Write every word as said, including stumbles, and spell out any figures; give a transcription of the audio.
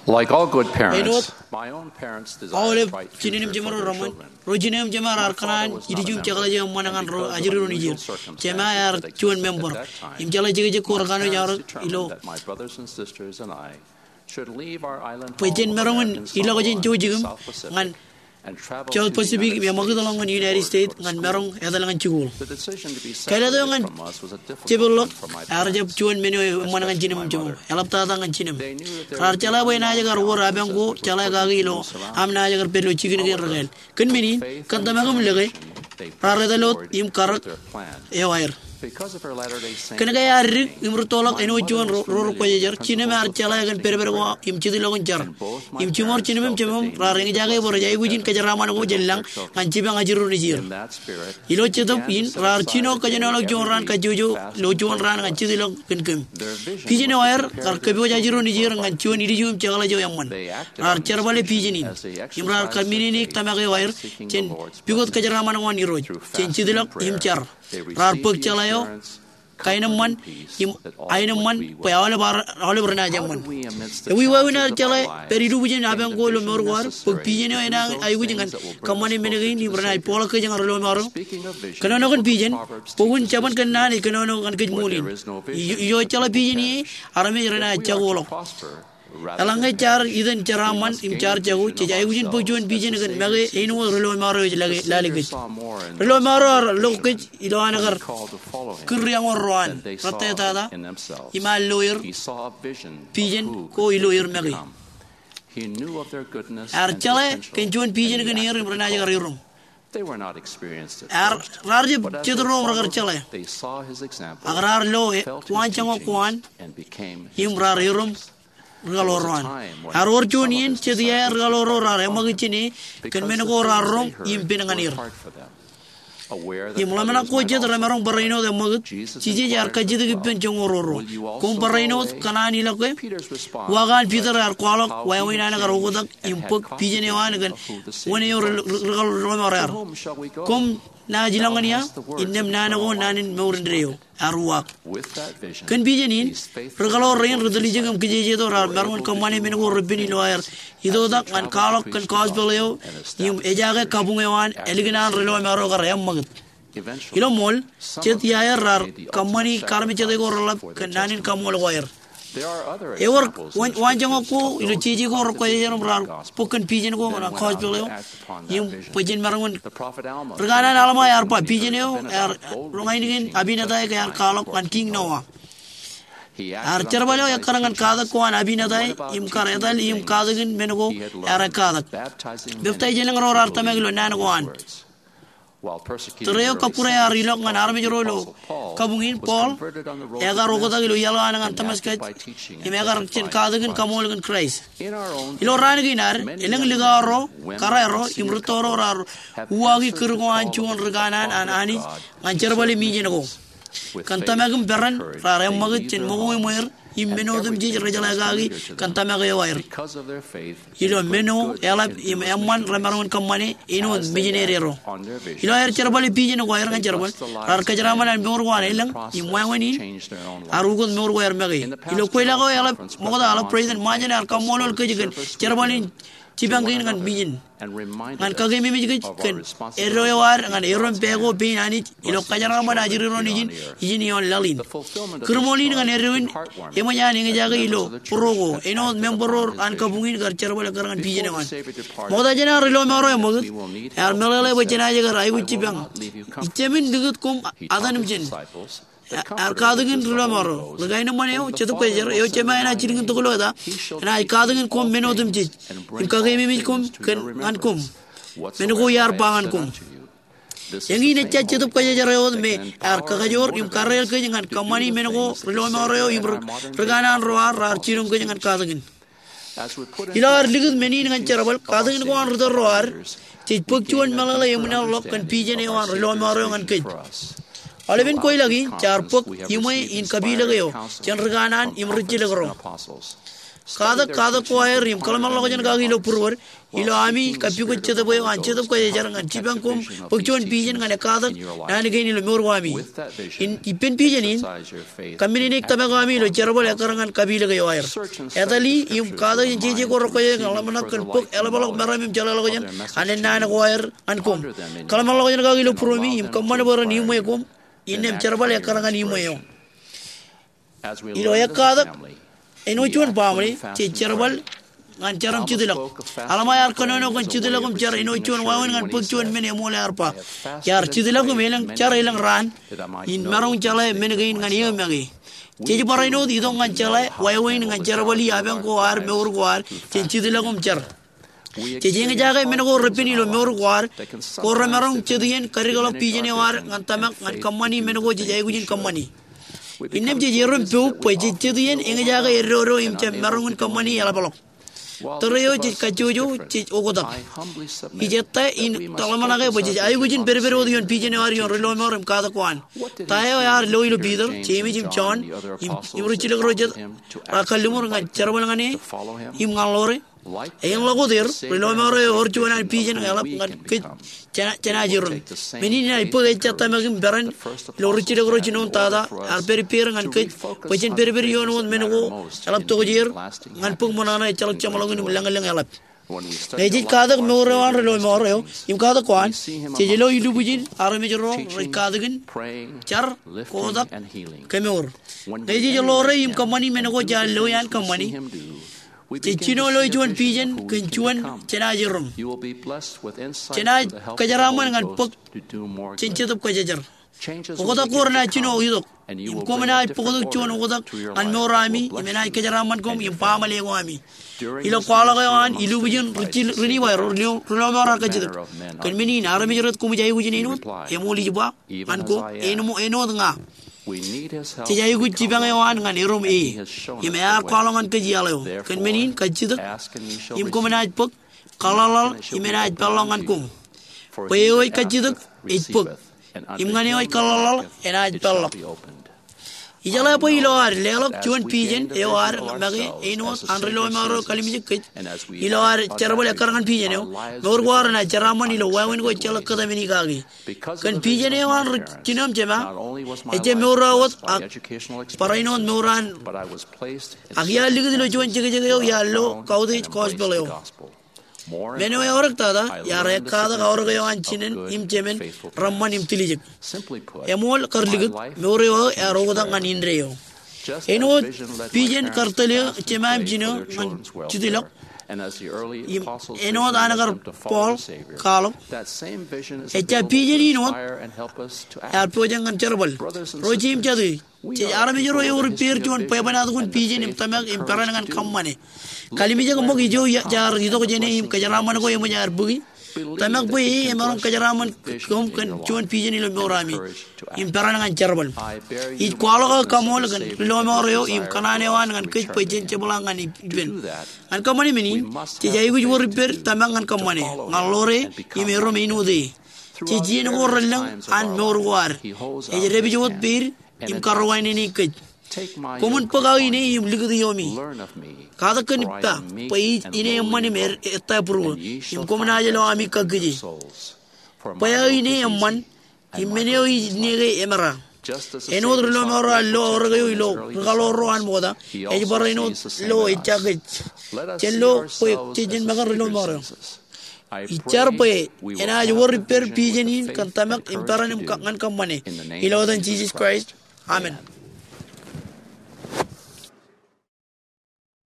Like all good parents, āinwōt aolep jinen im jemed ro reṃōn, ro jinen im jemed raar kōṇaan ilju im jekḷaj eo eṃṃan ñan ro ajri ro nejier. Jema ear juon member im jeḷā jekjek ko rekanooj aorōk ilo bwe jen maroñ in ilọk jān jouj im ñan South Pacific im eṃakūt ḷọk ñan United States ñan maroñ etal ñan jikuuḷ. Kāālōt eo ñan jepeḷḷọk ear jab juon men eo eṃṃan ñan jinem im jeṃḷọk. Eḷaptata ñan jinem. Raar jeḷā bwe enaaj kar wōr apañ ko jeḷā kaki ilo aṃ naaj kar pād ilo jikin kein rekāāl. Kōn men in, kōn tōmak im lōke, raar etal wōt im karōk eo aer. Kōn ke ear dik im rūttoḷọk āinwōt juon ro, ro rekwōjarjar, jinem ear jeḷā kōn pedped ko im jetḷọk in jar. Im jiṃor jinem im jeṃṃan raar eñjake bwe rej aikuj in kōjeraaṃṃan ko jān lañ ñan jipañ ajri ro nejier. Ilo jetōb in raar jino kōjenolọk juon raan kajjojo ilo juon raan ñan jetḷọk kōn kōm. Pijen eo aer kar kōpooj ajri ro nejier ñan juon ilju im jekḷaj eo eṃṃan. Raar jerbale pijen in im raar kōmmenin tōmak eo aer jān pukot kōjeraaṃṃan ko an Irooj jān jetḷọk im jar. Raar bōk jeḷā eo kaenōṃṃan im aenōṃṃan bwe aolep ar, aolep renaaj eṃṃan. Ewi wāween ad jeḷā pād ilubwijen apañ ko ilo mour ko ad, bōk pijen eo enaaj aikuj ñan kōṃṃane men kein im renaaj bōkḷọk kōj ñan ri lọmọọr eo? Kōnono kōn pijen, bok in Jabōn Kōnnaan ej kōnono ñan kōj ṃool in. Ij, ijo ejjeḷọk pijen ie, armej renaaj jakoḷọk. Eḷaññe jaar itan jeraaṃṃan im jaar jako, jej aikuj in bōk juon pijen kōn make āinwōt ri lọmọọr eo ej lale, lale kōj. Ri lọmọọr eo ear lo kōj ilo an kar kūr iañwōr ro an, rej tōtata im ear lo er pijen ko ilo er make. Ear jeḷā kōn juon pijen kōn er im renaaj kar iroñ. Ear, raar jab jet ro rekar jeḷā. Ak raar lo e, waanjoñak ko an im raar iroñ ri kaḷoor ro an. Ear wōr juon iien jet iaer ri kaḷoor ro raar eṃṃakūt jān e kōn men ko raar roñ im pen ñan er. Im ḷōmṇak ko jet remaroñ barāinwōt eṃṃakūt, Jisōs ear kajjitōk ippān joñoul ro ro, koṃ barāinwōt kōṇaan ilọk ke? Uwaak an Piter ear kwaḷọk wāween an kar oktak im bōk pijen eo an kōn wōn eo ri, ri, ri lọmọọr ear. Koṃ naaj ilọk ñan ia? Innām naan ko naan in mour indeeo. Ear uwaak. Kōn pijen in, ri kaḷoor rein ri tiljek im kijejeto raar maroñ in kōṃṃane men ko repen ilo aer itoitak ñan kwaḷọk kōn gospel eo im ejaake kabuñ eo an ālikin an ri lọmọọr eo kar eṃṃakūt. Ilo ṃool, jet iaer raar kōṃṃani kaarmejjete ko reḷap kōn naan in kaṃool ko aer. Ewōr waan, waanjoñak ko ilo jeje ko rekwōjarjar im raar bōk kōn pijen ko ñan gospel eo im bwe jen maroñ in. Ri kanaan Alma ear ba pijen eo ear roñ ainikien Abinadi ke ear kwaḷọk ñan Kiiñ Noa. Ear jerbal eo ekkar ñan katak ko an Abinadi im kar etal im katakin men ko ear ekkatak. Peptaij elōñ ro raar tōmak ilo naan ko an. Tōre eo kọkkure ear ilọk ñan armej ro ilo kabuñ in, Paul ekar oktak ilo iaḷ eo an ñan Damascus im ekar jān katakin kaṃool kōn Kraist. Ilo raan kein ad, elōñ likao ro, kōrā ro im rūtto ro raar uwaaki kūr ko an juon ri kanaan an Anij ñan jerbale mijen ko. Kōn tōmak im peran raar eṃṃakūt jān ṃōko im wāween im men otemjej rej jeḷā kaki kōn tōmak eo aer. Ilo men eo eḷap im eṃṃan remaroñ in kōṃṃane āinwōt mijinede ro. Ilo aer jerbale pijen ko aer ñan jerbal, raar kōjeraaṃṃan an mour ko an elōñ im wāween in ear ukōt mour ko aer make. Ilo kweilọk eo eḷap ṃokta, eḷap president Monson ear kaṃṃoolol kōj kōn jerbal in jipañ kein ñan mijen. Ñan kakeememej kōj kōn eddo eo ad ñan erom pā ko pein Anij ilo kōjeraaṃṃan ajri ro nejin ijin ioon laḷ in. Kūrṃool in ñan eddo in eṃōj an eñjake ilo būruō ko āinwōt member ro an kabuñ in kar jerbal ekkar ñan pijen eo an. Ṃokta jān an ri lọmọọr eo eṃṃakūt, ear meḷeḷe bwe jenaaj kar aikuj jipañ. Ij jāmin likūt koṃ ataṃ im jān. Ear katakin ri lọmọọr eo. Ri kaenōṃṃan eo, Jetōb Kwōjarjar, eo Jema enaaj jilkintok ilo eta, enaaj katakin koṃ men otemjej im kakeememej koṃ kōn, ñan koṃ men ko iar ba ñan koṃ. Eñin ejja Jetōb Kwōjarjar eo wōt me ear kakajoor im karreel kōj ñan kōṃṃani men ko ri lọmọọr eo im ri, ri kanaan ro ad raar jiroñ kōj ñan katakin. Ilo ad likūt men in ñan jerbal, katakin ko an ri tōl ro ad, jej bōk juon meḷeḷe eṃwilaḷḷọk kōn pijen eo an ri lọmọọr eo ñan kōj. Aolepen kweilọk in, jaar bōk iṃwe in kapilōk eo jān ri kanaan im rijjilōk ro. Katak katak ko aer im kōḷmānḷọkjeṇ kaki ilo būruod ilo ami kappukot jetōb eo an Jetōb Kwōjarjar ñan jipañ koṃ bōk juon pijen ñan ekkatak naan kein ilo mour ko ami. Im ippān pijen in, kōmmenin tōmak eo ami ilo jerbal ekkar ñan kapilōk eo aer. Etali im katak jān jeje ko rekwōjarjar ñan ḷōmṇak kōn bōk eḷapḷọk meram im jeḷāḷọkjeṇ an ennaan ko aer ñan koṃ. Kōḷmānḷọkjeṇ kaki ilo būromi im kōṃṃan bwe ren iṃwe koṃ. Innām jerbal ekkar ñan iṃwe eo. Ilo ekkatak, āinwōt juon baṃle jej jerbal ñan jar im jitḷọk. Alma ear kōnono kōn jitḷọk im jar āinwōt juon wāween ñan bōk juon men eṃool ear ba, iar jitḷọk im elōñ jar elōñ raan in maroñ jeḷā men kein ñan eō make. Jej barāinwōt itok ñan jeḷā wāween ñan jerbal iiō apañ ko ad, mour ko ad, jān jitḷọk im jar. Jej eñjake men ko repen ilo mour ko ad ko remaroñ jet iien kadikḷọk pijen eo ad ñan tōmak ñan kōṃṃani men ko jej aikuj in kōṃṃani. Innām jej erom poub bwe jej jet iien eñjake eddodo im jab maroñ in kōṃṃani eḷapḷọk. Tōre eo jej kajjojo, jej oktak. Ij ettā in tōḷmānḷọke bwe jej aikuj in pedped wōt ioon pijen eo ad ioon ri lọmọọr im katak ko an. Ta eo ear lo ilo Piter, Jemes im Jon im, im ri jilkinḷọk ro jet raar kalliṃur ñan jerbal ñan e im ñan ḷoore? Eñḷọk wōt er, ri lọmọọr eo ewōr juon an pijen eḷap ñan kōj jān, jān aō jiroñ. Men in enaaj bōk ejja tōmak im peran ilo ri jilkinḷọk ro jinoin tata ear pād ippāer ñan kōj bwe jen pedped ioon wōt men ko eḷap tokjāer ñan bōk ṃōṇōṇō ejjeḷọk jeṃḷọkin im lañlōñ eḷap. Ñe jej katak mour eo an ri lọmọọr eo im katak ko an, jej lo ilubwijin armej ro rej katakin, jar, kotak, kemour. Ñe jej ḷoore im kōṃṃani men ko jaar lo iaan kōṃṃani, jej jino loe juon pijen kōn juon jān aō jiroñ. Jenaaj kōjeraaṃṃan ñan bōk jān Jetōb Kwōjarjar. Oktak ko renaaj jino itok im koṃ enaaj bōktok juon oktak ñan mour ami im enaaj kōjeraaṃṃan koṃ im baaṃle ko ami. Ilo kwaḷọk eo an ilubwijin ri jil, ri Nifai ro, ri lọmọọr ear kajjitōk. Kōn men in armej rej koṃij aikuj in āinwōt, eṃool ij ba ñan koṃ, āinwōt, āinwōt ña. Jej aikuj jipañ eo an ñan erom e. Im ear kwaḷọk ñan kōj iaḷ eo. Kōn men in kajjitōk im koṃ enaaj bōk, kaḷḷaḷḷaḷ im enaaj peḷḷọk ñan koṃ. Bwe eo ej kajjitōk ej bōk, im ñan eo ej kaḷḷaḷḷaḷ enaaj peḷḷọk. Ijeḷā bwe ilo ad leḷọk juon pijen eo ad make āinwōt an ri lọmọọr eo kalimjek kōj ilo ad jerbal ekkar ñan pijen eo, mour ko ad renaaj jeraaṃṃan ilo wāween ko ejjeḷọk kōtmāne kaki. Kōn pijen eo an ri jino im jema, ejjab mour eo wōt ak barāinwōt mour an. Ak iar likūt ilo juon jekjek eo iar lo kautiej gospel eo. Men eo eorōk tata iar ekkatak aorōk eo an jinen im jemen reṃṃan im tiljek. Eṃool kar likūt, mour eo aō ear oktak ñan indeeo. Āinwōt pijen kar tōl eō jema im jino ñan jitḷọk, im āinwōt an kar Paul kwaḷọk, ejja pijen in wōt ear pojak ñan jerbal. Ro jeiū im jatū, jej armej ro ewōr ippāer juon bwebwenato in pijen im tōmak im peran ñan kōṃṃane. Kalimjek ṃōk ijo jaar itok jāne im kōjeraaṃṃan ko eṃōj aer bōki. Tōmak bwe e emaroñ kōjeraaṃṃan koṃ kōn juon pijen ilo mour ami im peran ñan jerbal. Ij kwaḷọk aō kaṃool kōn ri lọmọọr eo im kōṇaan eo an ñan kōj bwe jen jepḷaak ñan ippān. Ñan kōṃṃane men in, jej aikuj wōr ippād tōmak ñan kōṃṃane, ñan ḷoore im erom āinwōt e. Jej iien ko relōñ an mour ko ad. Ej dāpij wōt peid im karuwainene kōj. Koṃwin bōk aō ine im likūt iomi. Katak kōn ippa bwe ij ine eṃṃan im ettā būruō, im koṃ naaj lo ami kakkije. Bwe aō ine eṃṃan im men eo ij ine ke emera. Āinwōt ri lọmọọr eo ear lo aorōk eo ilo ri kaḷoor ro an ṃokta, ej barāinwōt lo ejja kōj. Jen lo bwe jej jen make ri lọmọọr eo. Ij jar bwe enaaj wōr ippād pijen in kōn tōmak im peran im ñan kōṃṃane. Ilo etan Jisōs Kraist, amen.